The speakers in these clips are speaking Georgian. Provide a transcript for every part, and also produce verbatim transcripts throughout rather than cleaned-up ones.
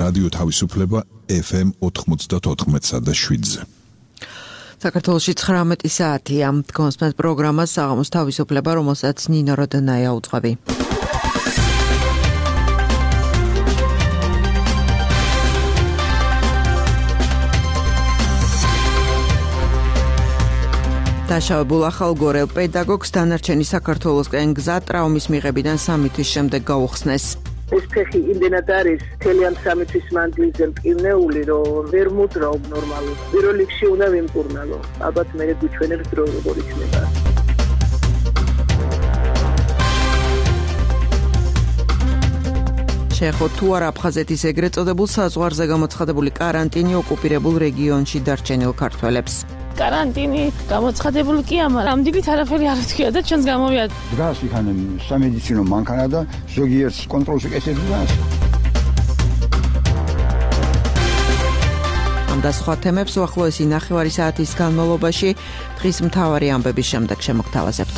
რადიო თავისუფლება ეფ ემ ოთხმოცდაოთხ და შვიდზე. საქართველოში ცხრამეტი საათია. კონსპენს პროგრამას საღამოს თავისუფლება, რომელსაც ნინო როდანაია უძღვები. დაშავებულ ახალგორელ პედაგოგს დანარჩენი საქართველოსკენ გზა ტრაუმის მიღებიდან სამი თვის შემდეგ გაუხსნეს. ეს ფეხი იმდენად არის მთელი ამ სამი თვის მანძილზე მტკივნეული, რომ ვერ მოძრაობ ნორმალურად. პირველ რიგში უნდა ვიმკურნალო. ალბათ მე გვიჩვენებს დრო როგორ იქნება. შეეხო თუ არა აფხაზეთის ეგრეთ წოდებულ საზღვარზე გამოცხადებული კარანტინი ოკუპირებულ რეგიონში დარჩენილ ქართველებს. карантини გამოცხადებული კი ამარ ამდიგით არაფერი არ ვთქია და ჩვენს გამოვიად დგას იქან სამედიცინო მანქანა და ზოგიერთ კონტროლში ესეთებას ამ და სხვა თემებს უახლოესი ნახევარი საათის განმავლობაში დღის მთავარი ამბების შემდეგ შემოგთავაზებთ.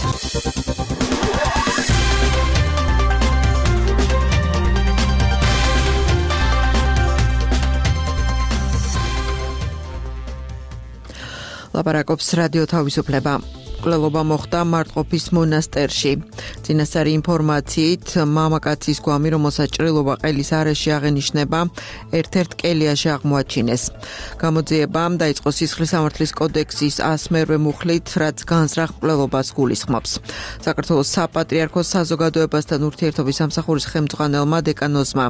ლაპარაკობს რადიო თავისუფლება. მკვლელობა მოხდა მარტყოფის მონასტერში. წინასწარი ინფორმაციით, მამაკაცის გვამი, რომელსაც ჭრილობა ყელის არეში აღენიშნება, ერთ-ერთ კელიაში აღმოაჩინეს. გამოძიება დაიწყო სისხლის სამართლის კოდექსის ასმერვე მუხლით, რაც განზრახ მკვლელობას გულისხმობს. საქართველოს საპატრიარქოს საზოგადოებასთან ურთიერთობის სამსახურის ხელმძღვანელმა დეკანოზმა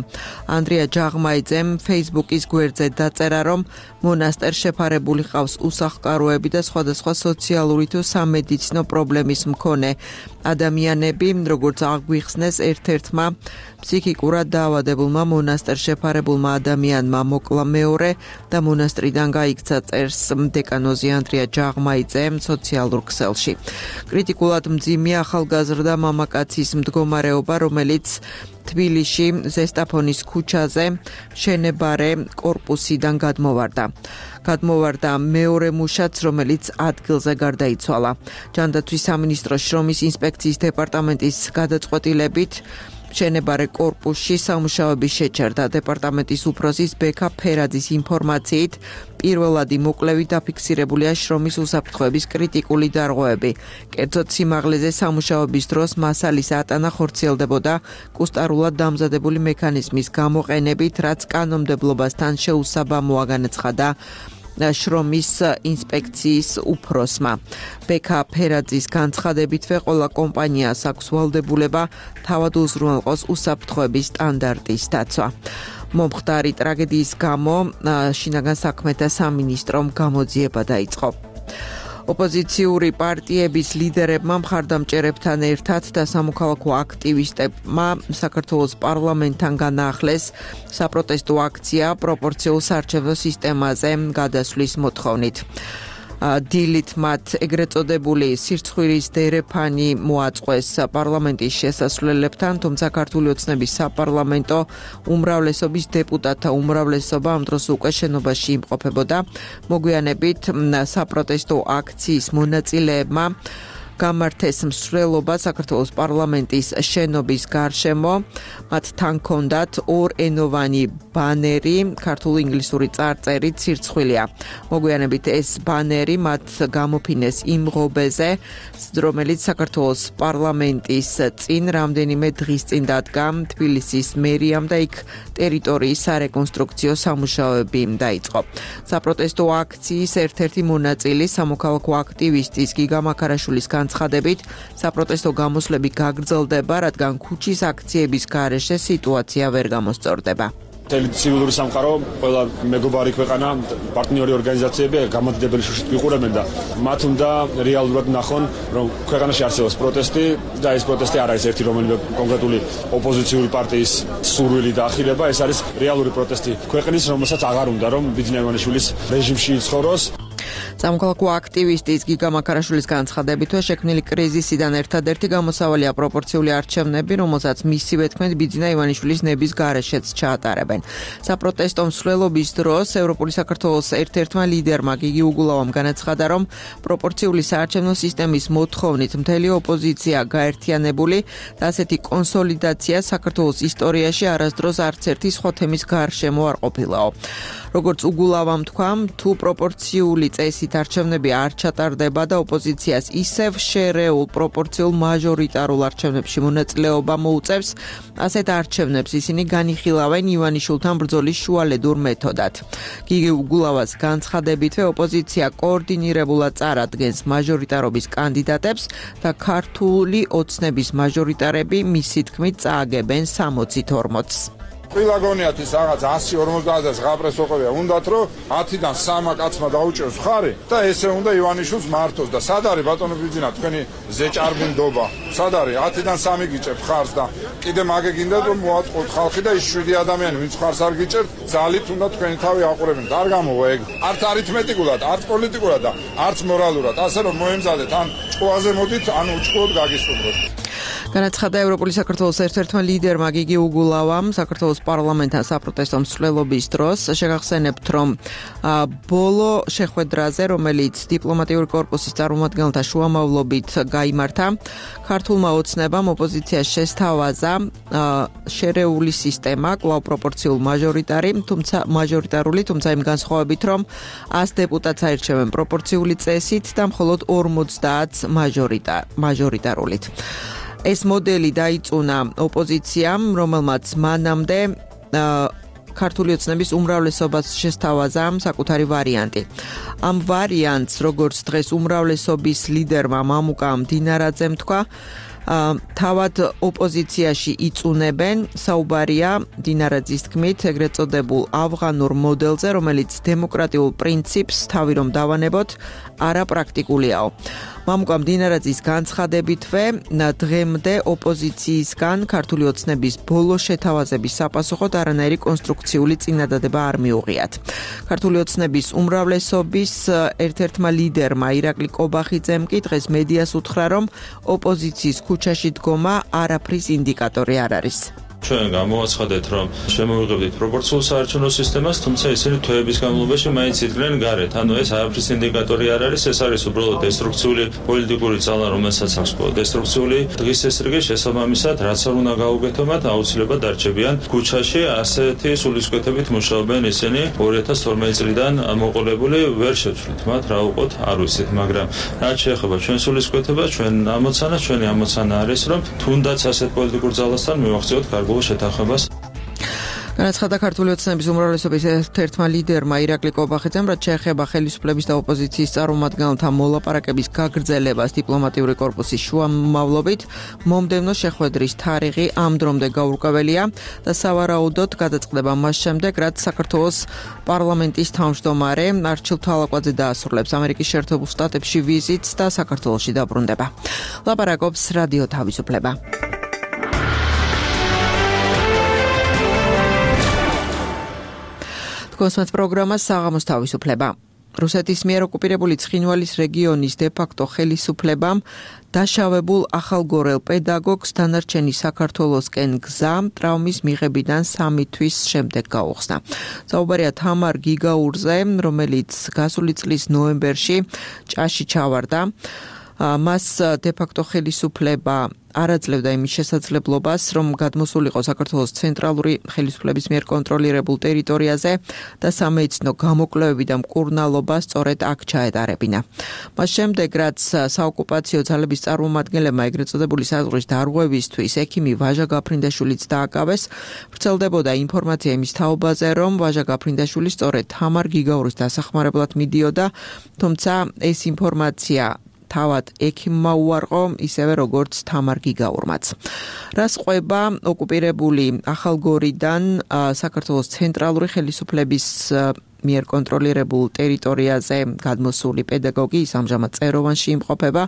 ანდრია ჯაღმაიძემ Facebook-ის გვერდზე დაწერა, რომ მონასტერს შეფარებული ყავს უსახლკაროები და სხვადასხვა სოციალური თუ სამედიცინო პრობლემის მქონე ადამიანები, როგორც აღვიხსნეს ერთ-ერთმა ფსიქიკურად დაავადებულმა მონასტერს შეფარებულმა ადამიანმა მოკლა მეორე და მონასტრიდან გაიქცა, წერს დეკანოზი ანდრია ჯაღმაიძე სოციალურ ქსელში. კრიტიკულად მძიმეა ახალგაზრდა მამაკაცის მდგომარეობა, რომელიც თბილისში ზესტაფონის ქუჩაზე შენებარე კორპუსიდან გადმოვარდა. გადმოვარდა მეორე მუშაც, რომელიც ადგილზე გარდაიცვალა. ჯანდაცვის სამინისტროს შრომის ინსპექციის დეპარტამენტის გადაწყვეტილებით შენებარე კორპუსში სამუშაოები შეჩერდა. დეპარტამენტის უფროსის ბექა ფერაძის ინფორმაციით, პირველადი მოკვლევით დაფიქსირებულია შრომის უსაფრთხოების კრიტიკული დარღვევები. კერძოდ სიმაღლეზე სამუშაოების დროს მასალის ატანა ხორციელდებოდა კუსტარულად დამზადებული მექანიზმის გამოყენებით, რაც კანონმდებლობასთან შეუსაბამოა, განაცხადა შრომის ინსპექციის უფროსმა. ბექა ფერაძის განცხადებითვე ყველა კომპანიას აქვს ვალდებულება თავად უზრუნველყოს უსაფრთხოების სტანდარტის დაცვა. მომხდარი ტრაგედიის გამო შინაგან საქმეთა სამინისტრომ გამოძიება დაიწყო. ოპოზიციური პარტიების ლიდერებმა მხარდამჭერებთან ერთად და სამოქალაქო აქტივისტებმა საქართველოს პარლამენტთან განაახლეს საპროტესტო აქცია პროპორციულ საარჩევნო სისტემაზე გადასვლის მოთხოვნით. დილით მათ ეგრეთ წოდებული სირცხვირის დერეფანი მოაწყვეს პარლამენტის შესასვლელებთან, თუმცა ქართული ოცნების საპარლამენტო უმრავლესობის დეპუტატთა უმრავლესობა ამ დროს უკვე შენობაში იმყოფებოდა. მოგვიანებით საპროტესტო აქციის მონაწილეებმა გამართეს მსვლელობა საქართველოს პარლამენტის შენობის გარშემო. მათ თან ჰქონდათ ორენოვანი ბანერი, ქართულ-ინგლისური წარწერით სირცხვილია. მოგვიანებით ეს ბანერი მათ გამოფინეს იმ ღობეზე, რომელიც საქართველოს პარლამენტის წინ რამდენიმე დღის წინ დადგა თბილისის მერიამ და იქ ტერიტორიის სარეკონსტრუქციო სამუშაოები დაიწყო. საპროტესტო აქციის ერთ-ერთი მონაწილი სამოქალაქო აქტივისტის გიგა მაქარაშვილის განცხადებით, საპროტესტო გამოსვლები გაგრძელდება, რადგან ქუჩის აქციების გარეშე სიტუაცია ვერ გამოსწორდება. ცივილური სამყარო, ყველა მეგობარი ქვეყანა, პარტნიორი ორგანიზაციები გამოდიდებელი შუშით ვიყურებენ და მათ უნდა რეალურად ნახონ, რომ ქვეყანაში არსებობს პროტესტი და ეს პროტესტი არ არის ერთი რომელიმე კონკრეტული ოპოზიციური პარტიის სურვილი და ახილება, ეს არის რეალური პროტესტი ქვეყნის, რომელსაც აღარ უნდა რომ ბიძინა ივანიშვილის რეჟიმში იცხოვროს. სამოქალაქო აქტივისტის გიგა მაქარაშვილის განცხადებითვე შექმნილი კრიზისიდან ერთადერთი გამოსავალია პროპორციული არჩევნები, რომელსაც მისივე თქმით ბიძინა ივანიშვილის ნების გარეშეც ჩაატარებენ. საპროტესტო მსვლელობის დროს ევროპული საქართველოს ერთ-ერთმა ლიდერმა გიგი უგულავამ განაცხადა, რომ პროპორციული საარჩევნო სისტემის მოთხოვნით მთელი ოპოზიცია გაერთიანებული და ასეთი კონსოლიდაცია საქართველოს ისტორიაში არასდროს არც ერთი სხვა თემის გარშემო არ ყოფილაო. როგორც უგულავამ თქვა, თუ პროპორციული წესით არჩევნები არ ჩატარდება და ოპოზიციას ისევ შერეულ პროპორციულ მაჟორიტარულ არჩევნებში მონაწილეობა მოუწევს, ასეთ არჩევნებს ისინი განიხილავენ ივანიშვილთან ბრძოლის შუალედურ მეთოდად. გიგი უგულავას განცხადებითვე ოპოზიცია კოორდინირებულად წარადგენს მაჟორიტარობის კანდიდატებს და ქართული ოცნების მაჟორიტარები მისი თქმით წააგებენ სამოცით ორმოცს. Ყველა გონიათ ის რაღაც ასი ორმოცდაათს ღაპრესო ყოფია. უნდათ რომ ათიდან სამმა კაცმა დაუჭერს ხარი და ესე უნდა ივანიშვილს მართოს და სად არის ბატონო ბიძინა თქვენი ზეჭარბინდობა? სად არის ათიდან სამი გიჭერთ ხარს და კიდე მაგე გინდათ რომ მოაწყოთ ხალხი და ის შვიდი ადამიანი ვინც ხარს არ გიჭერთ, ძალით უნდა თქვენი თავი აყურებინოთ. არ გამოვა ეგ. არც არითმეტიკულად, არც პოლიტიკურად და არც მორალურად. ასე რომ მოემზადეთ ან ჭკუაზე მოდით, ან უჭკუოდ გაგისტუმროთ. განაცხადა ევროპული საქართველოს ერთ-ერთმა ლიდერმა გიგი უგულავამ საქართველოს პარლამენტთან საპროტესტო მსვლელობის დროს. შეგახსენებთ, რომ ბოლო შეხვედრაზე, რომელიც დიპლომატიური კორპუსის წარმომადგენელთა შუამავლობით გაიმართა, ქართულმა ოცნებამ ოპოზიციას შესთავაზა შერეული სისტემა, კვლავ პროპორციულ მაჟორიტარი, თუმცა მაჟორიტარული, თუმცა იმ განსხვავებით, რომ ას დეპუტატს აირჩევენ პროპორციული წესით და მხოლოდ ორმოცდაათს მაჟორიტარულით. ეს მოდელი დაიწუნა ოპოზიციამ, რომელმაც მანამდე ქართული ოცნების უმრავლესობას შესთავაზა საკუთარი ვარიანტი. ამ ვარიანტს, როგორც დღეს უმრავლესობის ლიდერმა მამუკა მდინარაძემ თქვა, თავად ოპოზიციაში იწუნებენ, საუბარია დინარაძის თქმით ეგრეთ წოდებულ ავღანურ მოდელზე, რომელიც დემოკრატიულ პრინციპს თავი რომ დავანებოთ, არაპრაქტიკულიაო. მამუკა მდინარაძის განცხადებითვე დღემდე ოპოზიციისგან ქართული ოცნების ბოლო შეთავაზების sapasუხოდ არანაირი კონსტრუქციული წინადადება არ მიუღიათ. ქართული ოცნების უმრავლესობის ერთ-ერთმა ლიდერმა ირაკლი კობახიძემ კი დღეს მედიას უთხრა, რომ ოპოზიციის ქუჩაში დგომა არაფრის ინდიკატორი არ არის. ჩვენ გამოვაცხადეთ, რომ შემოვიღებდით პროპორციულ საარჩევნო სისტემას, თუმცა ისინი თვეების განმავლობაში მაინც იდგნენ გარეთ. ანუ ეს არაფრის ინდიკატორი არ არის, ეს არის უბრალოდ დესტრუქციული პოლიტიკური ძალა, რომელსაც აქვს დესტრუქციული დღის ესრიგი შესაბამისად, რაც არ უნდა გაუგეთო მათ, აუცილებლად დარჩებიან ქუჩაში. ასეთი სულისკვეთებით მუშაობენ ისინი ორი ათას თორმეტი წლიდან მოყოლებული, ვერ შევცვლით მათ, რა უყოთ, არ ვიცით, მაგრამ რაც შეეხება ჩვენ სულისკვეთებას, ჩვენ ამოცანას, ჩვენი ამოცანა არის, რომ თუნდაც ასეთ პოლიტიკურ ძალასთან მივახციოთ კარგ შეთანხმებას. განაცხადა ქართული ოცნების უმრავლესობის ერთ-ერთმა ლიდერმა ირაკლი კობახიძემ, რაც შეეხება ხელისუფლების და ოპოზიციის წარმომადგენელთა მოლაპარაკების გაგრძელებას დიპლომატიური კორპუსის შუამავლობით, მომდევნო შეხვედრის თარიღი ამ დრომდე გაურკვეველია და სავარაუდოდ გადაწყდება მას შემდეგ, რაც საქართველოს პარლამენტის თავმჯდომარე არჩილ თვალაკვაძე დაასრულებს ამერიკის შეერთებულ შტატებში ვიზიტს და საქართველოში დაბრუნდება. ლაპარაკობს რადიო თავისუფლება. კონსმეთ პროგრამა საღამოს თავისუფლება. რუსეთის მიერ ოკუპირებული ცხინვალის რეგიონის დე-ფაქტო ხელისუფლებამ დაშავებულ ახალგორელ პედაგოგს დანარჩენი საქართველოსკენ გზა ტრავმის მიღებიდან სამი თვის შემდეგ გაუხსნა. საუბარია თამარ გიგაურზე, რომელიც გასული წლის ნოემბერში ჭაში ჩავარდა. მას დე-ფაქტო ხელისუფლება არაძლევდა იმის შესაძლებლობას, რომ გადმოსულიყო საქართველოს ცენტრალური ხელისუფლების მიერ კონტროლირებულ ტერიტორიაზე და სამეცნო გამოკვლევები და მკურნალობა სწორედ აქ ჩაეტარებინა. მას შემდეგ, რაც საოკუპაციო ძალების წარმომადგენლებმა ეგრეთ წოდებული საზღვრის დარღვევისთვის ექიმი ვაჟა გაფრინდაშვილიც დააკავეს, ვრცელდებოდა ინფორმაცია იმის თაობაზე, რომ ვაჟა გაფრინდაშვილი სწორედ თამარ გიგაურის დასახმარებლად მიდიოდა, თუმცა ეს ინფორმაცია თავად ექიმმა უარყო, ისევე როგორც თამარ გიგაურმაც. რას ყვება ოკუპირებული ახალგორიდან საქართველოს ცენტრალური ხელისუფლების მიერ კონტროლირებულ ტერიტორიაზე გადმოსული პედაგოგი ის ამჟამად წეროვანში იმყოფება.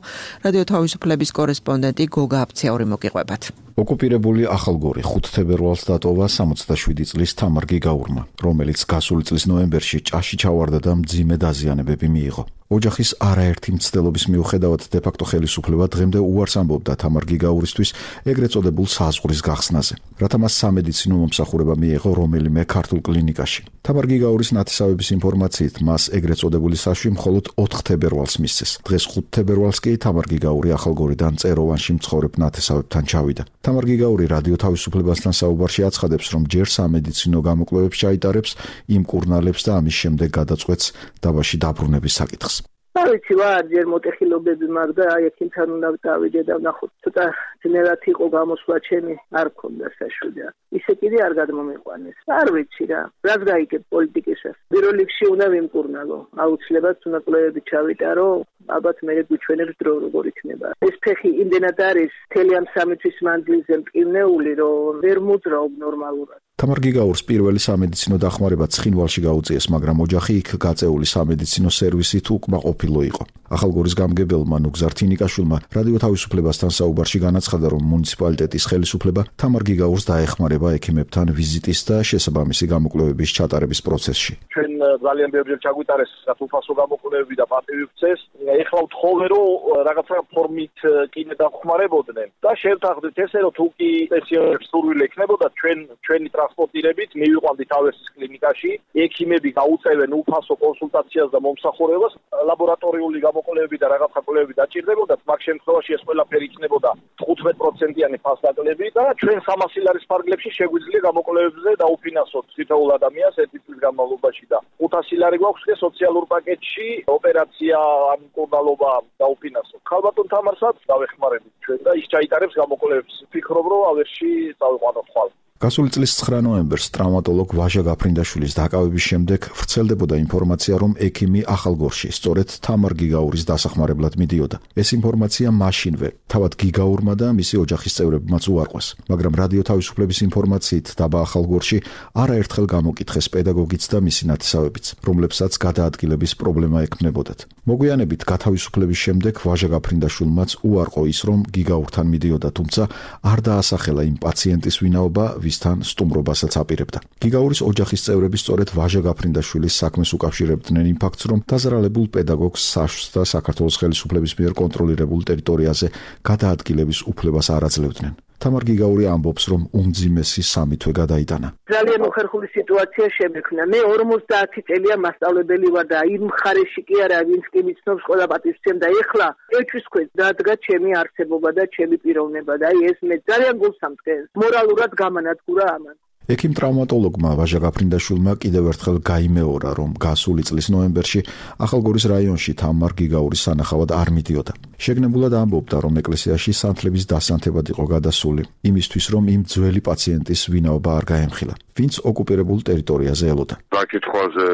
რადიო თავისუფლების კორესპონდენტი გოგა აფციური მოგიყვებათ. ოკუპირებული ახალგორი ხუთ თებერვალს დატოვა სამოცდაშვიდი წლის თამარ გიგაურმა, რომელიც გასული წლის ნოემბერში ჭაში ჩავარდა და მძიმე დაზიანებები მიიღო. ოჯახის არაერთი მცდელობის მიუხედავად დე-ფაქტო ხელისუფლება დღემდე უარს ამბობდა თამარ გიგაურისთვის ეგრეთ წოდებულ საზღვრის გახსნაზე, რათა მას სამედიცინო მომსახურება მიეღო რომელიმე ქართულ კლინიკაში. თამარ გიგაურის ნათესავების ინფორმაციით მას ეგრეთ წოდებული საშვი მხოლოდ ოთხ თებერვალს მისცეს. დღეს ხუთ თებერვალს კი თამარ გიგაური ახალგორიდან წეროვანში მცხოვრებ ნათესავებთან ჩავიდა. თამარ გიგაური რადიო თავისუფლებასთან საუბარში აცხადებს, რომ ჯერ სამედიცინო გამოკვლევებს ჩაიტარებს, იმკურნალებს და ამის შემდეგ გადაწყვეტს დაბაში დაბრუნების საკითხს. ვიცი ვარ, ჯერ მოტეხილობები მაქვს და აი ექიმთან უნდა დავიდე და ვნახოთ. ცოტა ძნელად იყო გამოსვლა ჩემი, არ მქონდა საშვიდა. ისე კიდე არ გადმომიყვანეს. არ ვიცი რა. რას გაიგებ პოლიტიკისას? პირველ რიგში უნდა ვიმკურნალო. აუცილებლად უნდა კვლევები ჩავიტარო. ალბათ მე გვიჩვენებს დრო როგორ იქნება. ეს ფეხი იმდენად არის მთელი ამ სამი თვის მანძილზე მტკივნეული, რომ ვერ მოძრაობ ნორმალურად. თამარ გიგაურს პირველი სამედიცინო დახმარება ცხინვალში გაუწიეს, მაგრამ ოჯახი იქ გაწეული სამედიცინო სერვისით უკმაყოფილო იყო. ახალგორის გამგებელმა ნუგზარ თინიკაშვილმა რადიო თავისუფლებასთან საუბარში განაცხადა, რომ მუნიციპალიტეტის ხელისუფლება თამარ გიგაურს დაეხმარება ექიმებთან ვიზიტის და შესაბამისი გამოკვლევების ჩატარების პროცესში. ჩვენ ძალიან ბევრჯერ ჩაგვიტარეს საფასო გამოკვლევები და პატივი ვქცეს. ეხლა ვთხოვე, რომ რაღაცა ფორმით კიდე დავხმარებოდნენ და შევთანხმდით ესე, რომ თუ კი პენსიონერებს სურვილი ექნებოდა, ჩვენ ჩვენი ტრანსპორტირებით მივიყვანდით ავერსის კლინიკაში, ექიმები გაუწევენ უფასო კონსულტაციას და მომსახურებას, ლაბორატორიული გამოკვლევები და რაღაცა კვლევები დაჭირდებოდათ, მაგ შემთხვევაში ეს ყველაფერი იქნებოდა თხუთმეტ პროცენტიანი ფასდაკლები და ჩვენ სამასი ლარის ფარგლებში შეგვიძლია გამოკვლევებზე დაუფინანსოთ თითოეულ ადამიანს ერთი წლის განმავლობაში და ხუთასი ლარი გვაქვს და სოციალურ პაკეტში ოპერაცია ან მკურნალობა დაუფინანსოთ. ხალბატონ თამარსაც დავეხმარებით ჩვენ და ის ჩაიტარებს გამოკვლევებს. ვფიქრობ, რომ ავერსში წავიყვანოთ ხვალ. გასული წლის ცხრა ნოემბერს ტრავმატოლოგ ვაჟა გაფრინდაშვილის დაკავების შემდეგ ვრცელდებოდა ინფორმაცია, რომ ექიმი ახალგორში სწორედ თამარ გიგაურის დასახმარებლად მიდიოდა. ეს ინფორმაცია მაშინვე თავად გიგაურმა და მისი ოჯახის წევრებმაც უარყვეს, მაგრამ რადიო თავისუფლების ინფორმაციით დაბა ახალგორში არაერთხელ გამოკითხეს პედაგოგიც და მისი ნათესავებიც, რომლებსაც გადაადგილების პრობლემა ექმნებოდათ. მოგვიანებით გათავისუფლების შემდეგ ვაჟა გაფრინდაშვილმაც უარყო ის, რომ გიგაურთან მიდიოდა, თუმცა არ დაასახელა იმ პაციენტის ვინაობა, ვისთან სტუმრობასაც აპირებდა. გიგაურის ოჯახის წევრები სწორედ ვაჟა გაფრინდაშვილის საქმეს უკავშირებდნენ იმ ფაქტს, რომ დაზარალებულ პედაგოგს საშვს და საქართველოს ხელისუფლების მიერ კონტროლირებულ ტერიტორიაზე გადაადგილების უფლებას არ აძლევდნენ. თამარ გიგაური ამბობს, რომ უმძიმესი სამი თვე გადაიტანა. ძალიან უხერხული სიტუაცია შემექმნა. მე ორმოცდაათი წელია მასწავლებელი ვარ და იმ მხარეში კი არა, ვინც კი მიცნობს ყველა პატივსცემ და ეხლა ეჭვის ქვეშ დადგა ჩემი არსებობა და ჩემი პიროვნება და აი ეს მე ძალიან გულს ამწყენს. მორალურად გამანადგურა ამან. ექიმ ტრავმატოლოგმა ვაჟა გაფრინდაშვილმა კიდევ ერთხელ გაიმეორა, რომ გასული წლის ნოემბერში ახალგორის რაიონში თამარ გიგაურის სანახავად არ მიდიოდა. შეგნებულად ამბობდა, რომ ეკლესიაში სანთლების დასანთებად იყო გადასული, იმისთვის, რომ იმ ძველი პაციენტის ვინაობა არ გაემხილა, ვინც ოკუპირებულ ტერიტორიაზე ელოდა. საკითხვაზე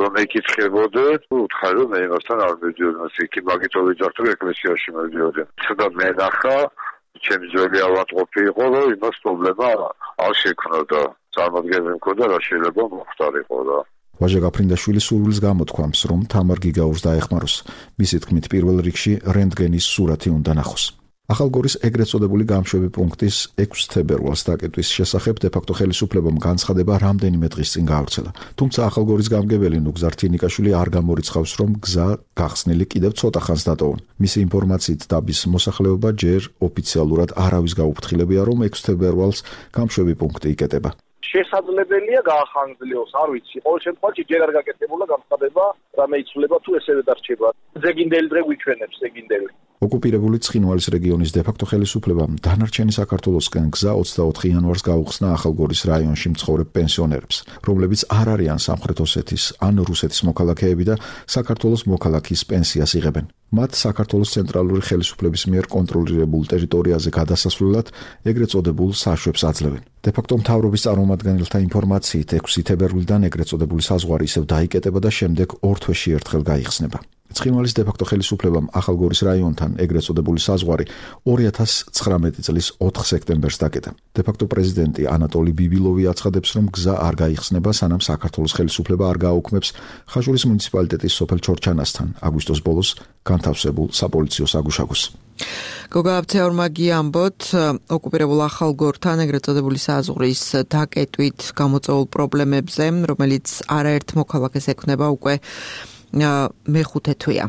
რომ ეკითხებოდე, უთხარი რომ მე იმასთან არ მიდიოდი, იქ მაგითო ვიძახთ, რომ ეკლესიაში მიდიოდი. ცოტა მენახა ჩემი ძველი ავადმყოფი იყო, რომ იმას პრობლემა არ შექმნოდა. წარმოადგენს მქონდა რა შეიძლება მოხდარიყო და ვაჟა გაფრინდაშვილი სურვილს გამოთქვამს, რომ თამარ გიგაურს დაეხმაროს. მისი თქმით, პირველ რიგში რენტგენის სურათი უნდა ნახოს. ახალგორის ეგრეთ წოდებული გამშვები პუნქტის ექვსი თებერვალს დაკეტვის შესახებ დე-ფაქტო ხელისუფლებამ განცხადება რამდენიმე დღის წინ გაავრცელა. თუმცა ახალგორის გამგებელი ნუგზარ თინიკაშვილი არ გამორიცხავს, რომ გზა გახსნილი კიდევ ცოტა ხანს დატოვონ. მისი ინფორმაციით დაბის მოსახლეობა ჯერ ოფიციალურად არავის გაუფრთხილებია, რომ ექვსი თებერვალს გამშვები პუნქტი იკეტება. შესაძლებელია გაახანგრძლივოს, არ ვიცი. ყოველ შემთხვევაში ჯერ არ გაკეთებულა განცხადება, რამე იცვლება თუ ესევე დარჩება. ზეგინდელი დღე გვიჩვენებს, ზეგინდელი. ოკუპირებული ცხინვალის რეგიონის დე-ფაქტო ხელისუფლებამ დანარჩენი საქართველოსკენ გზა ოცდაოთხი იანვარს გაუხსნა ახალგორის რაიონში მცხოვრებ პენსიონერებს, რომლებიც არ არიან სამხრეთ ოსეთის ან რუსეთის მოქალაქეები და საქართველოს მოქალაქის პენსიას იღებენ. მათ საქართველოს ცენტრალური ხელისუფლების მიერ კონტროლირებულ ტერიტორიაზე გადასასვლელად ეგრეთ წოდებულ საშვებს აძლევენ. დე-ფაქტო მთავრობის წარმომადგენელთა ინფორმაციით ექვსი თებერვლიდან ეგრეთ წოდებული საზღვარი ისევ დაიკეტება და შემდეგ ორ თვეში ერთხელ გაიხსნება. ცხინვალის დე-ფაქტო ხელისუფლებამ ახალგორის რაიონთან ეგრეთ წოდებული საზღვარი ორი ათას ცხრამეტი წლის ოთხ სექტემბერს დაკეტა. დე-ფაქტო პრეზიდენტი ანატოლი ბიბილოვი აცხადებს, რომ გზა არ გაიხსნება, სანამ საქართველოს ხელისუფლება არ გააუქმებს ხაშურის მუნიციპალიტეტის სოფელ ჩორჩანასთან აგვისტოს ბოლოს განთავსებულ საპოლიციო საგუშაგოს. გოგა აბცეორმა გიამბოთ, ოკუპირებულ ახალგორთან ეგრეთ წოდებული საზღვრის დაკეტვით გამოწვეულ პრობლემებზე, რომელიც არაერთ მოქალაქეს ექმნება უკვე მეხუთე თვეა.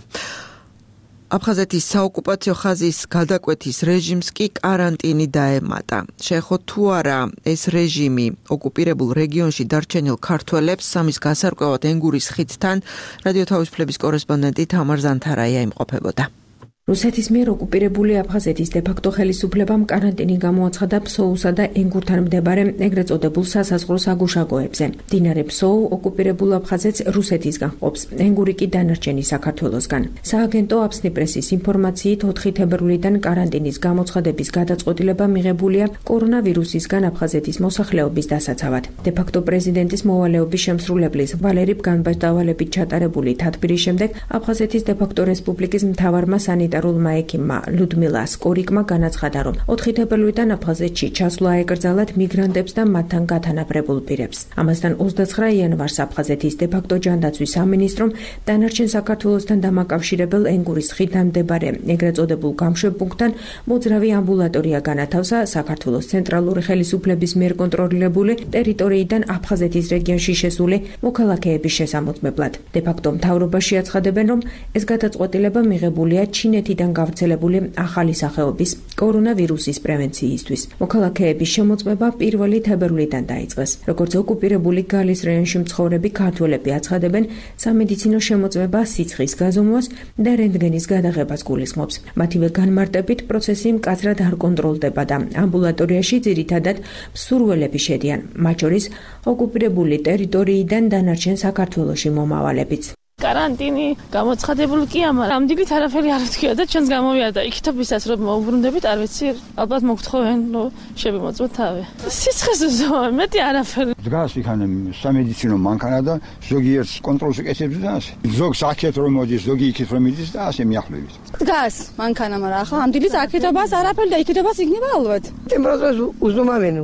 აფხაზეთის საოკუპაციო ხაზის გადაკვეთის რეჟიმს კი კარანტინი დაემატა. შეეხო თუ არა ეს რეჟიმი ოკუპირებულ რეგიონში დარჩენილ ქართველებს სამის გასარკვევად ენგურის ხიდთან რადიო თავისუფლების კორესპონდენტი თამარ ზანთარაია იმყოფებოდა. რუსეთის მიერ ოკუპირებული აფხაზეთის დე-ფაქტო ხელისუფლებამ კარანტინი გამოაცხადა ფსოუსა და ენგურთან მდებარე ეგრეთ წოდებულ სასაზღვრო საგუშაგოებზე. მდინარე ფსოუ ოკუპირებულ აფხაზეთს რუსეთისგან ჰყოფს, ენგური კი დანარჩენი საქართველოსგან. სააგენტო აფსნი პრესის ინფორმაციით ოთხი თებერვლიდან კარანტინის გამოცხადების გადაწყვეტილება მიღებულია კორონავირუსისგან აფხაზეთის მოსახლეობის დასაცავად. დე-ფაქტო პრეზიდენტის მოვალეობის შემსრულებლის ვალერი განმარტავალებით ჩატარებული თათბირის შემდეგ აფხაზეთის დე-ფაქტო რესპუბლიკის მთავარმა სანიტარულ ექიმმა ლუდმილა სკორიკმა განაცხადა, რომ ოთხი თებერვლიდან აფხაზეთში ჩასვლა ეკრძალათ მიგრანტებს და მათთან გათანაბრებულ პირებს. ამასთან ოცდაცხრა იანვარს აფხაზეთის დე-ფაქტო ჯანდაცვის სამინისტრომ დანარჩენ საქართველოსთან დამაკავშირებელ ენგურის ხიდთან მდებარე ეგრეთ წოდებულ გამშვებპუნქტთან მოძრავი ამბულატორია განათავსა საქართველოს ცენტრალური ხელისუფლების მიერ კონტროლირებული ტერიტორიიდან აფხაზეთის რეგიონში შესული მოქალაქეების შესამოწმებლად. დე-ფაქტო მთავრობაში აცხადებენ, რომ ეს გადაწყვეტილება მიღებულია ჩინეთიდან გავრცელებული ახალი სახეობის კორონავირუსის პრევენციისთვის. მოქალაქეების შემოწმება პირველი თებერვლიდან დაიწყეს. როგორც ოკუპირებული გალის რაიონში მცხოვრები ქართველები აცხადებენ, სამედიცინო შემოწმება სიცხის გაზომვას და რენტგენის გადაღებას გულისხმობს. მათივე განმარტებით პროცესი მკაცრად არ კონტროლდება და ამბულატორიაში ძირითადად მსურველები შედიან, მათ შორის ოკუპირებული ტერიტორიიდან დანარჩენ საქართველოში მომავალებიც. карантини გამოცხადებული კი ამარ ამდიგით არაფერი არ თქვია და ჩვენს გამოვიარდა იქითობისას რომ მოუბრუნდებით არ ვიცი ალბათ მოგთხოვენ რომ შევიმოწმოთ თავი სიცხეს ზოა მეტი არაფერი დგას იქანე სამედიცინო მანქანა და ზოგიერთ კონტროლს ეკეთებს და ასე ზოგს აქეთ რომ მოდის ზოგი იქით რომ მიდის და ასე მიახლოებით დგას მანქანა მაგრამ ახლა ამდიგით აქეთობას არაფერი და იქეთობას იქნება ალბათ ტემპერატურას უზომავენ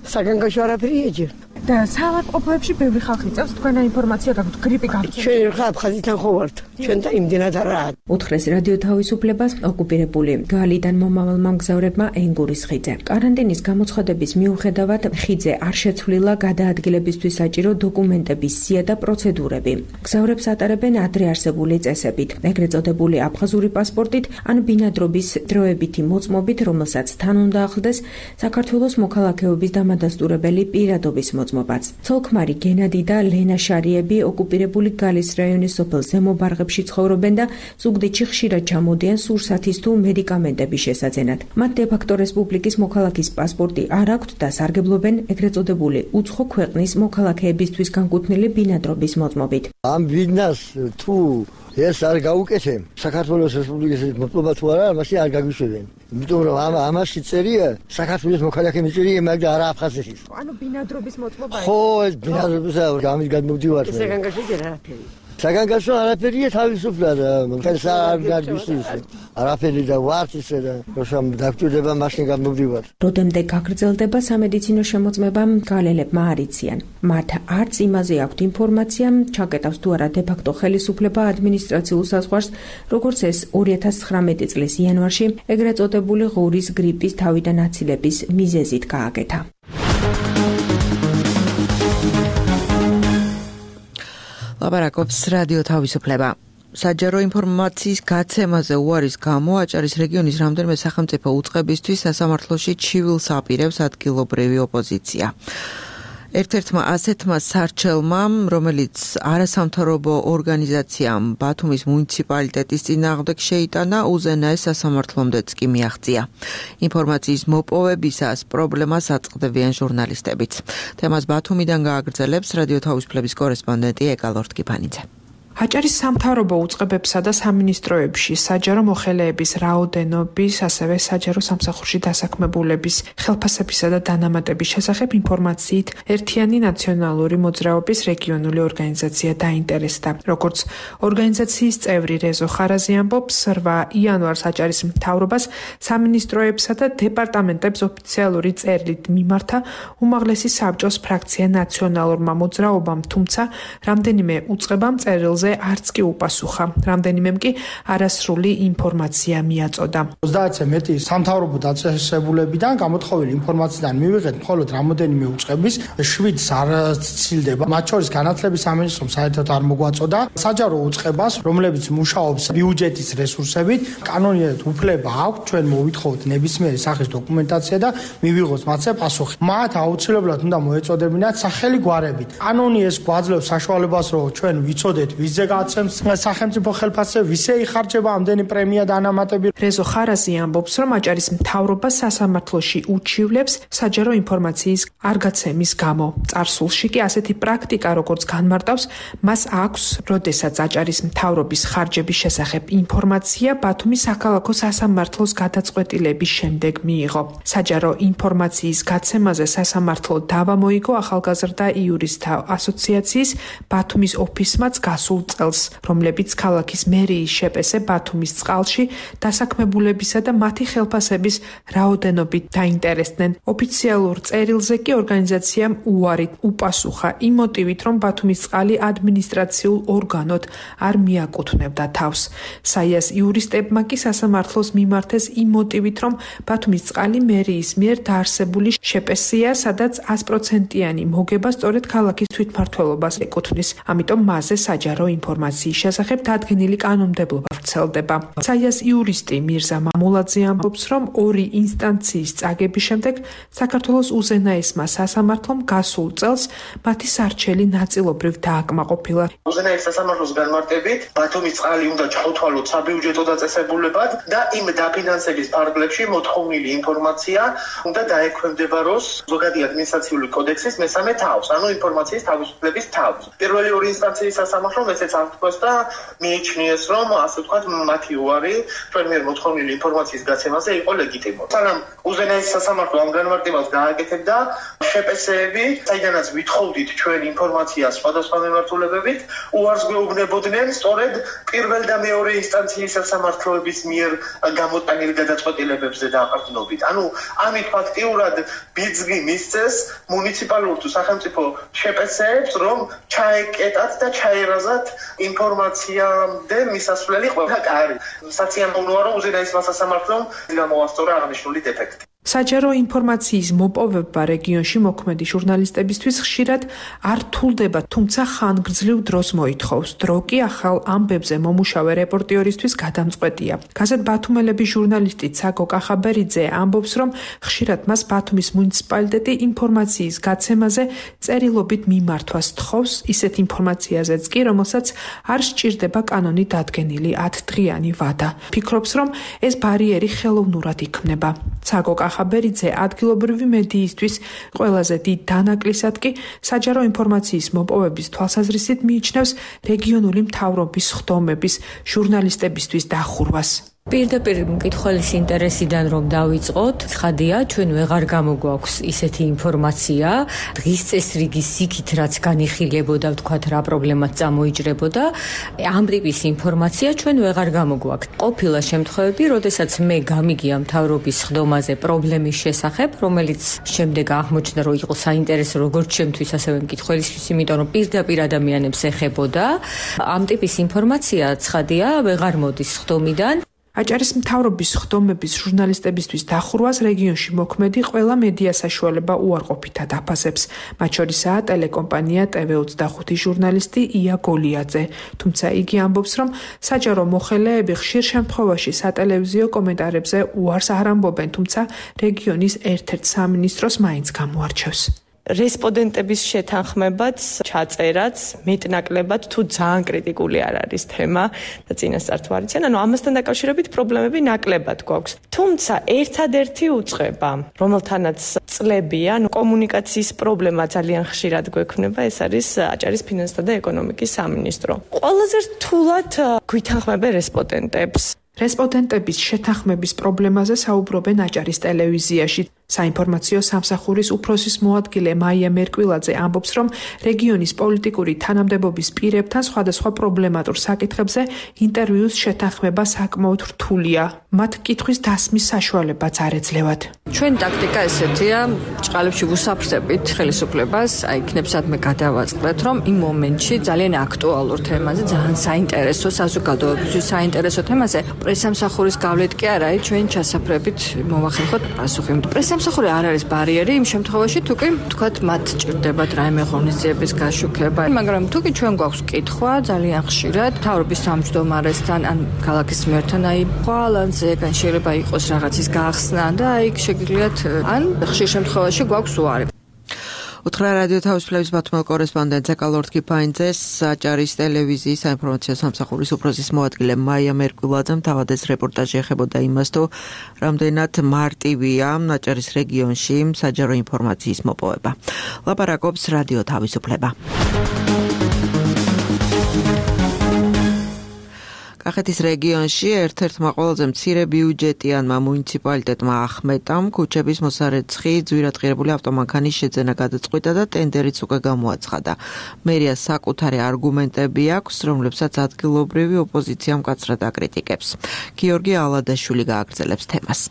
საგანგაშო არაფერი ეჯერ და საავადმყოფოებში ბევრი ხალხი წევს თქვენა ინფორმაცია გაქვთ გრიპი გაქვთ ჩვენ ხა აფხაზეთთან ხო ვართ ჩვენ და იმდენად არაა უთხრეს რადიო თავისუფლებას ოკუპირებული გალიდან მომავალმა მგზავრებმა ენგურის ხიდზე კარანტინის გამოცხადების მიუხედავად ხიდზე არ შეცვლილა გადაადგილებისთვის საჭირო დოკუმენტების სია და პროცედურები მგზავრებს ატარებენ ადრე არსებული წესებით ეგრეთ წოდებული აფხაზური პასპორტით ან ბინადრობის დროებითი მოწმობით რომელსაც თან უნდა ახლდეს საქართველოს მოქალაქეობის დამადასტურებელი პირადობის მოწმობა ცოლქმარი გენადი და ლენა შარიები ოკუპირებული გალის რაიონის სოფელ ზემობარღებში ცხოვრობენ და ზუგდიდში ხშირად ჩამოდიან სურსათის თუ მედიკამენტების შესაძენად. მათ დე-ფაქტო რესპუბლიკის მოქალაქის პასპორტი არ აქვთ და სარგებლობენ ეგრეთ წოდებული უცხო ქვეყნის მოქალაქეებისთვის განკუთვნილი ბინადრობის მოწმობით. ამ ბიზნეს თუ ეს არ გაუკეთებ საქართველოს რესპუბლიკის მოწმობა თუ არა მასე არ გაგვიშვებენ იმიტომ რომ ამ ამაში წერია საქართველოს მოქალაქეების წერია მაგრამ არა აფხაზეთის ანუ ბინადრობის მოწმობა ხო ეს ბინადრობის გამის გადმოვდივარ საგანგაშო ჯერ არაფერი საგანგაშო არაფერია თავისუფლად ეს არ გაგვისვის არაფერი და ვართ ისე და როშამ დაგჭირდება მაშინ გამოვდივარ როდემდე გაგრძელდება სამედიცინო შემოწმება გალელებმა არ იციან მათ არც იმაზე აქვთ ინფორმაცია ჩაკეტავს თუ არა დე-ფაქტო ხელისუფლება ადმინისტრაციულ საზღვარს როგორც ეს ორი ათას ცხრამეტი წლის იანვარში ეგრეთ წოდებული ღორის გრიპის თავიდან აცილების მიზეზით გააკეთა ლაპარაკობს რადიო თავისუფლება. საჯარო ინფორმაციის გაცემაზე უარის გამო აჭარის რეგიონის რამდენიმე სახელმწიფო უწყებისთვის სასამართლოში ჩივილს აპირებს ადგილობრივი ოპოზიცია. ერთ-ერთმა ასეთმა სარჩელმა, რომელიც არასამთავრობო ორგანიზაციამ ბათუმის მუნიციპალიტეტის წინააღმდეგ შეიტანა, უზენაეს სასამართლომდეც კი მიაღწია. ინფორმაციის მოპოვებისას პრობლემას აწყდებიან ჟურნალისტებიც. თემას ბათუმიდან გააგრძელებს რადიო თავისუფლების კორესპონდენტი ეკალორტ კიფანიძე. აჭარის სამთავრობო უწყებებსა და სამინისტროებში საჯარო მოხელეების რაოდენობის, ასევე საჯარო სამსახურში დასაქმებულების, ხელფასებისა და დანამატების შესახებ ინფორმაციით ერთიანი ნაციონალური მოძრაობის რეგიონული ორგანიზაცია დაინტერესდა. როგორც ორგანიზაციის წევრი რეზო ხარაზი ამბობს, რვა იანვარს აჭარის მთავრობას, სამინისტროებსა და დეპარტამენტებს ოფიციალური წერილით მიმართა უმაღლესი საბჭოს ფრაქცია ნაციონალურმა მოძრაობამ, თუმცა რამდენიმე უწყებამ წერილზე არც კი უპასუხა. რამდენიმემ კი არასრული ინფორმაცია მიაწოდა. ოცდაათზე მეტი სამთავრობო დაწესებულებიდან გამოთხოვილი ინფორმაციიდან მივიღეთ მხოლოდ რამოდენიმე უწყების, შვიდს არ ცილდება. მათ შორის განათლების სამინისტრომ საერთოდ არ მოგვაწოდა. საჯარო უწყებას, რომლებიც მუშაობს ბიუჯეტის რესურსებით, კანონიერ უფლება აქვს ჩვენ მოვითხოვოთ ნებისმიერი სახის დოკუმენტაცია და მივიღოთ მათზე პასუხი. მათ აუცილებლად უნდა მოეწოდებინათ სახელი გვარებით. კანონი ეს გვაძლევს საშუალებას, რომ ჩვენ ვიცოდეთ ვიზზე გაცემს სახელმწიფო ხელფასზე, ვისე იხარჯება ამდენი პრემია და ანამატები. რეზო ხარაზი ამბობს, რომ აჭარის მთავრობა სასამართლოში უჩივლებს საჯარო ინფორმაციის არ გაცემის გამო. წარსულში კი ასეთი პრაქტიკა, როგორც განმარტავს, მას აქვს, როდესაც აჭარის მთავრობის ხარჯების შესახებ ინფორმაცია ბათუმის საქალაქო სასამართლოს გადაწყვეტილების შემდეგ მიიღო. საჯარო ინფორმაციის გაცემაზე სასამართლო დავა მოიგო ახალგაზრდა იურისტთა ასოციაციის ბათუმის ოფისმაც გასულ წელს, რომლებიც ქალაქის მერიის შეპესე ბათუმის წყალში დასაქმებულებისა და მათი ხელფასების რაოდენობით დაინტერესდნენ. ოფიციალურ წერილზე კი ორგანიზაციამ უარი უპასუხა იმ მოტივით, რომ ბათუმის წყალი ადმინისტრაციულ ორგანოდ არ მიაკუთვნებდა თავს. საიას იურისტებმა კი სასამართლოს მიმართეს იმ მოტივით, რომ ბათუმის წყალი მერიის მიერ დაარსებული შეპესია, სადაც sto პროცენტიანი მოგება სწორედ ქალაქის თვითმმართველობას ეკუთვნის. ამიტომ მასზე საჯარო ინფორმაციის შესახებ დადგენილი კანონმდებლობა ვრცელდება. საიას იურისტი მირზა მამულაძე ამბობს, რომ ორი ინსტანციის წაგების შემდეგ საქართველოს უზენაესმა სასამართლომ გასულ წელს მათი სარჩელი ნაწილობრივ დააკმაყოფილა. უზენაეს სასამართლოს განმარტებით ბათუმის წყალი უნდა ჩაუთვალოთ საბიუჯეტო დაწესებულებად და იმ დაფინანსების ფარგლებში მოთხოვნილი ინფორმაცია უნდა დაექვემდებაროს ზოგადი ადმინისტრაციული კოდექსის მესამე თავს, ანუ ინფორმაციის თავისუფლების თავს. პირველი ორი ინსტანციის სასამართლომ ესეც აღთქვეს და მიიჩნიეს, რომ ასე ვთქვათ, მათი უარი ჩვენ მიერ მოთხოვნილი ინფორმაციის გაცემაზე იყო ლეგიტიმური. სანამ უზენაეს სასამართლო ამ განმარტებას გააკეთებდა, შეპესეები, საიდანაც ვითხოვდით ჩვენ ინფორმაციას სხვადასხვა მიმართულებებით, უარს გვეუბნებოდნენ სწორედ პირველ და მეორე ინსტანციის სასამართლოების მიერ გამოტანილი გადაწყვეტილებებზე დაყრდნობით. ანუ ამით ფაქტიურად ბიძგი მისცეს მუნიციპალურ თუ სახელმწიფო შეპესეებს, რომ ჩაეკეტათ და ჩაერაზათ ინფორმაციამდე მისასვლელი ყველა კარი. საწიამოვნოა, რომ უზენაესმა სასამართლომ გამოასწორა აღნიშნული დეფექტი. საჯარო ინფორმაციის მოპოვება რეგიონში მოქმედი ჟურნალისტებისთვის ხშირად არ რთულდება, თუმცა ხანგრძლივ დროს მოითხოვს. დრო კი ახალ ამბებზე მომუშავე რეპორტიორისთვის გადამწყვეტია. გაზეთ ბათუმელების ჟურნალისტი ცაკო კახაბერიძე ამბობს, რომ ხშირად მას ბათუმის მუნიციპალიტეტი ინფორმაციის გაცემაზე წერილობით მიმართვას თხოვს, ისეთ ინფორმაციაზეც კი, რომელსაც არ სჭირდება კანონით დადგენილი ათდღიანი ვადა. ფიქრობს, რომ ეს ბარიერი ხელოვნურად იქმნება. ცაკო ხაბერიძე ადგილობრივი მედიისთვის ყველაზე დიდ დანაკლისად კი საჯარო ინფორმაციის მოპოვების თვალსაზრისით მიიჩნევს რეგიონული მთავრობის ხდომების ჟურნალისტებისთვის დახურვას. პირდაპირ მკითხველის ინტერესიდან რომ დავიწყოთ, ცხადია, ჩვენ ვეღარ გამოგვაქვს ისეთი ინფორმაცია, დღის წესრიგის იქით რაც განიხილებოდა, ვთქვათ, რა პრობლემაც წამოიჭრებოდა, ამ ტიპის ინფორმაცია ჩვენ ვეღარ გამოგვაქვს. ყოფილა შემთხვევები, როდესაც მე გამიგია მთავრობის ხდომაზე პრობლემის შესახებ, რომელიც შემდეგ აღმოჩნდა, რომ იყო საინტერესო როგორც ჩემთვის, ასევე მკითხველისთვის, იმიტომ რომ პირდაპირ ადამიანებს ეხებოდა. ამ ტიპის ინფორმაცია, ცხადია, ვეღარ მოდის ხდომიდან. აჭარის მთავრობის ხდომების ჟურნალისტებისთვის დახურვას რეგიონში მოქმედი ყველა მედია საშუალება უარყოფითად აფასებს. მათ შორისაა ტელეკომპანია ტე ვე ოცდახუთი ჟურნალისტი ია გოლიაძე. თუმცა იგი ამბობს, რომ საჯარო მოხელეები ხშირ შემთხვევაში სატელევიზიო კომენტარებზე უარს არ ამბობენ, თუმცა რეგიონის ერთ-ერთ სამინისტროს მაინც გამოარჩევს. რესპონდენტების შეთანხმებაც, ჩაწერაც, მეტნაკლებად თუ ძალიან კრიტიკული არ არის თემა და წინასწარ თუ არ იციან, ანუ ამასთან დაკავშირებით პრობლემები ნაკლებად გვაქვს. თუმცა ერთადერთი უწყება, რომელთანაც წლებია, კომუნიკაციის პრობლემა ძალიან ხშირად გვექნება, ეს არის აჭარის ფინანსთა და ეკონომიკის სამინისტრო. ყველაზე რთულად გვითანხმებენ რესპონდენტებს. რესპონდენტების შეთანხმების პრობლემაზე საუბრობენ აჭარის ტელევიზიაში. საინფორმაციო სამსახურის უფროსის მოადგილე მაია მერკვილაძე ამბობს, რომ რეგიონის პოლიტიკური თანამდებობის პირებთან სხვადასხვა პრობლემატურ საკითხებზე ინტერვიუს შეთანხმება საკმაოდ რთულია. მათ კითხვის დასმის საშუალებაც არ ეძლევათ. ჩვენი ტაქტიკა ესეთია, ჭყალებში ვუსაფრთხებით ხელისუფლებას, აი იქნებსადმე გადავაწყდეთ, რომ იმ მომენტში ძალიან აქტუალურ თემაზე, ძალიან საინტერესო საზოგადოებისთვის საინტერესო თემაზე პრესამსახურის გავლით კი არა, ჩვენ ჩასაფრებით მოვახერხოთ პასუხი. სამსახური არ არის ბარიერი იმ შემთხვევაში თუ კი თქვათ მათ ჭირდებათ რაიმე ღონისძიების გაშუქება, მაგრამ თუ კი ჩვენ გვაქვს კითხვა ძალიან ხშირად მთავრობის თავმჯდომარესთან ან ქალაქის მერთან აი ბალანსზე ან შეიძლება იყოს რაღაცის გახსნა და აი შეგიძლიათ ან ხშირ შემთხვევაში გვაქვს უარი. უთხრა რადიო თავისუფლების ბათუმელ კორესპონდენტ ზაკალორთ კიფაინძეს აჭარის ტელევიზიის საინფორმაციო სამსახურის უფროსის მოადგილე მაია მერკვილაძემ თავადეს რეპორტაჟი ეხებოდა იმას, თუ რამდენად მარტივია აჭარის რეგიონში საჯარო ინფორმაციის მოპოვება. ლაპარაკობს რადიო თავისუფლება. კახეთის რეგიონში ერთ-ერთმა ყველაზე მცირე ბიუჯეტიანმა მუნიციპალიტეტმა ახმეტამ ქუჩების მოსარეცხი ძვირადღირებული ავტომანქანის შეძენა გადაწყვიტა და ტენდერიც უკვე გამოაცხადა. მერიას საკუთარი არგუმენტები აქვს, რომლებსაც ადგილობრივი ოპოზიცია მკაცრად აკრიტიკებს. გიორგი ალადაშვილი გააგრძელებს თემას.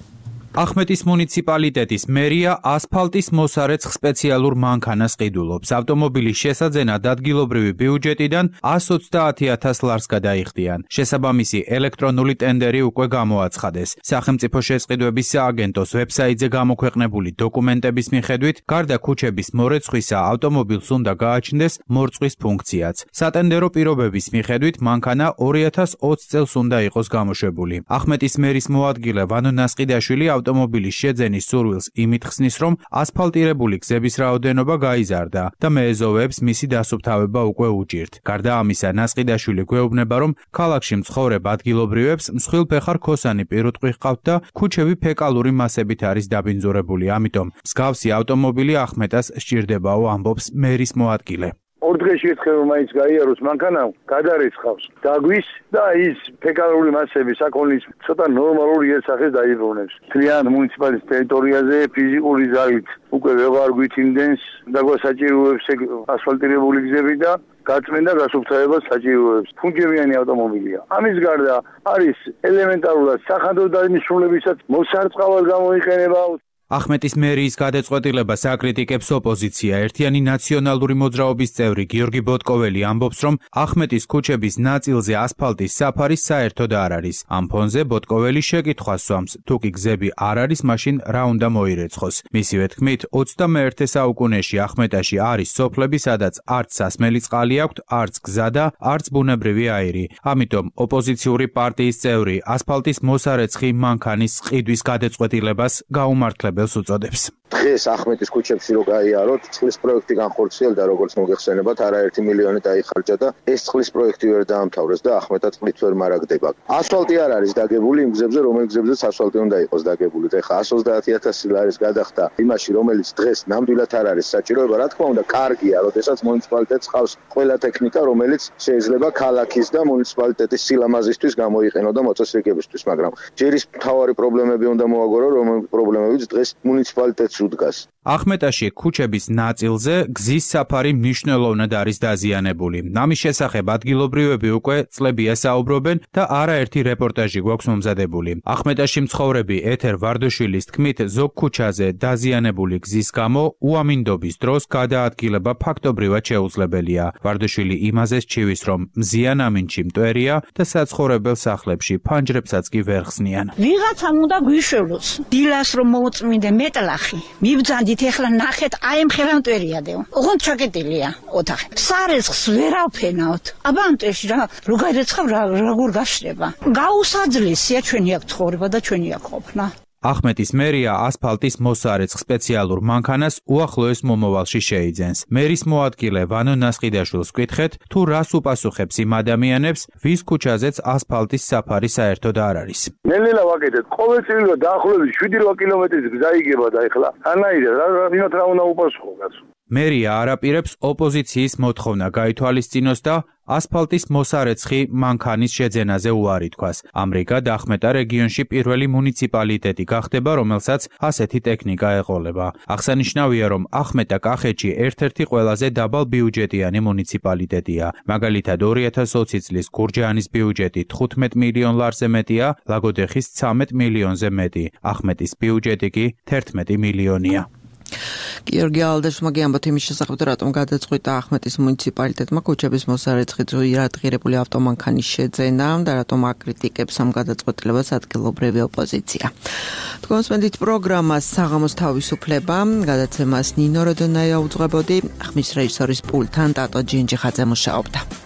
ახმეტის მუნიციპალიტეტის მერია ასფალტის მოსარეცხ სპეციალურ მანქანას ყიდულობს. ავტომობილის შესაძენად ადგილობრივი ბიუჯეტიდან ას ოცდაათი ათას ლარს გადაიხდიან. შესაბამისი ელექტრონული ტენდერი უკვე გამოაცხადეს. სახელმწიფო შესყიდვების სააგენტოს ვებსაიტზე გამოქვეყნებული დოკუმენტების მიხედვით, გარდა ქუჩების მორეცხვისა, ავტომობილს უნდა გააჩნდეს მორწყვის ფუნქციაც. სატენდერო პირობების მიხედვით, მანქანა ორი ათას ოცი წელს უნდა იყოს გამოშვებული. ახმეტის მერის მოადგილე ვანო ნასყიდაშვილი ავტომობილის შეძენის სურვილს იმით ხსნის, რომ ასფალტირებული გზების რაოდენობა გაიზარდა და მეეზოვეებს მისი დასუფთავება უკვე უჭირთ. გარდა ამისა, ნასყიდაშვილი გვეუბნება, რომ ქალაქში მცხოვრებ ადგილობრივებს მსხვილფეხა რქოსანი პირუტყვი ჰყავთ და ქუჩები ფეკალური მასებით არის დაბინძურებული. ამიტომ მსგავსი ავტომობილი ახმეტას სჭირდებაო, ამბობს მერის მოადგილე. ორ დღეში ერთხელ მაინც გაიაროს მანქანა გადარეცხავს დაგვის და ის ფეკალური მასები საქონლის ცოტა ნორმალური იერსახეს დაიბრუნებს. თლიან მუნიციპალიტეტის ტერიტორიაზე ფიზიკური ზალით უკვე ვეღარ გვითინდენს და გვასაჭიროებს ასფალტირებული გზები და გაწმენდა გასუფთავებას საჭიროებს. ფუნქციონალური ავტომობილია. ამის გარდა არის ელემენტარულად სახანძრო დანიშნულებისას მოსარწყავად გამოიყენება. ახმეტის მერიის გადაწყვეტილებას აკრიტიკებს ოპოზიცია. ერთიანი ნაციონალური მოძრაობის წევრი გიორგი ბოტკოველი ამბობს, რომ ახმეტის ქუჩების ნაწილზე ასფალტის საფარი საერთოდ არ არის. ამ ფონზე ბოტკოველი შეკითხვას სვამს, თუ კი გზები არ არის, მაშინ რა უნდა მოირეცხოს. მისივე თქმით, ოცდამეერთე საუკუნეში ახმეტაში არის სოფლები, სადაც არც სასმელი წყალი აქვთ, არც გზა და არც ბუნებრივი აირი. ამიტომ ოპოზიციური პარტიის წევრი ასფალტის მოსარეცხი მანქანის ყიდვის გადაწყვეტილებას გაუმართლებელს უწოდებს. დღეს ახმეტის ქუჩებში რო გაიაროთ, წყლის პროექტი განხორციელდა, როგორც მოგეხსენებათ, არაერთი მილიონი დაიხარჯა და ეს წყლის პროექტი ვერ დაამთავრეს და ახმეტად წყლით ვერ მარაგდება. ასფალტი არ არის დაგებული იმ გზებზე, რომელ გზებზეც ასფალტი უნდა იყოს დაგებული. და ეხლა ას ოცდაათი ათასი ლარის გადახდა იმაში, რომელიც დღეს ნამდვილად არ არის საჭიროება, რა თქმა უნდა, კარგია, როდესაც მუნიციპალიტეტს ყავს ყველა ტექნიკა, რომელიც შეიძლება ქალაქის და მუნიციპალიტეტის სილამაზისთვის გამოიყენო და მოწესრიგებისთვის, მაგრამ ჯერ ის მთავარი პრობლემები უნდა მოაგორო, რომელი პრობლემებიც დღეს მუნიციპალიტეტს უდგას. ახმეტაში ქუჩების ნაწილზე გზის საფარი მნიშვნელოვნად არის დაზიანებული. ამის შესახებ ადგილობრივები უკვე წლებია საუბრობენ და არაერთი რეპორტაჟი გვაქვს მომზადებული. ახმეტაში მცხოვრები ეთერ ვარდოშვილის თქმით, ზოგ ქუჩაზე დაზიანებული გზის გამო უამინდობის დროს გადაადგილება ფაქტობრივად შეუძლებელია. ვარდოშვილი იმაზე სჩივის, რომ მზიან ამინჩი მტვერია და საცხოვრებელ სახლებში ფანჯრებსაც კი ვერ ხსნიან. ვიღაცამ უნდა გვიშვებოს დილას რომ მოუწმინდე მეტლახი მიბძანდით ეხლა ნახეთ აი ამ ხელამტვერიადეო ოღონდ ჩაკეტილია ოთახი სარეცხს ვერავფენაოთ აბა ამ წელში რა რო გაირეცხავ რა როგორ გაშრება გაუსაძლისია ჩვენი აქ ცხოვრება და ჩვენი აქ ყოფნა. ახმეტის მერია ასფალტის მოსარეცხ სპეციალურ მანქანას უახლოეს მომავალში შეიძენს. მერის მოადგილე ვანო ნასყიდაშვილს ვკითხეთ, თუ რას უპასუხებს იმ ადამიანებს, ვის ქუჩაზეც ასფალტის საფარი საერთოდ არ არის. ნელ-ნელა ვაკეთებ. ყოველწლიურად დაახლოებით შვიდი რვა კილომეტრის გზა იგება და ეხლა ანაირად რა ვინოთ რა უნდა უპასუხო კაცო. მერია არაპირებს ოპოზიციის მოთხოვნა გაითვალისწინოს და ასფალტის მოსარეცხი მანქანის შეძენაზე უარი თქვას. ამრიგად ახმეტა რეგიონში პირველი მუნიციპალიტეტი გახდება, რომელსაც ასეთი ტექნიკა ეყოლება. აღსანიშნავია, რომ ახმეტა კახეთში ერთ-ერთი ყველაზე დაბალბიუჯეტიანი მუნიციპალიტეტია. მაგალითად ორი ათას ოცი წლის გურჯაანის ბიუჯეტი თხუთმეტ მილიონ ლარზე მეტია, ლაგოდეხის ცამეტ მილიონზე მეტი. ახმეტის ბიუჯეტი კი თერთმეტი მილიონია. გიორგი ალდაშმა გიამბოთ იმის შესახებ, რატომ გადაწყვიტა ახმეტის მუნიციპალიტეტმა ქუჩების მოსარეცხით ზოირადღირებული ავტომანქანის შეძენა და რატომ აკრიტიკებს ამ გადაწყვეტილებას ადგილობრივი ოპოზიცია. თქვენსმენდით პროგრამას საღამოს თავისუფლება, გადაცემას ნინო როდონაია უძღვებოდი, ხმის რეჟისორის პულტთან ტატო ჯინჯიხაძე მუშაობდა.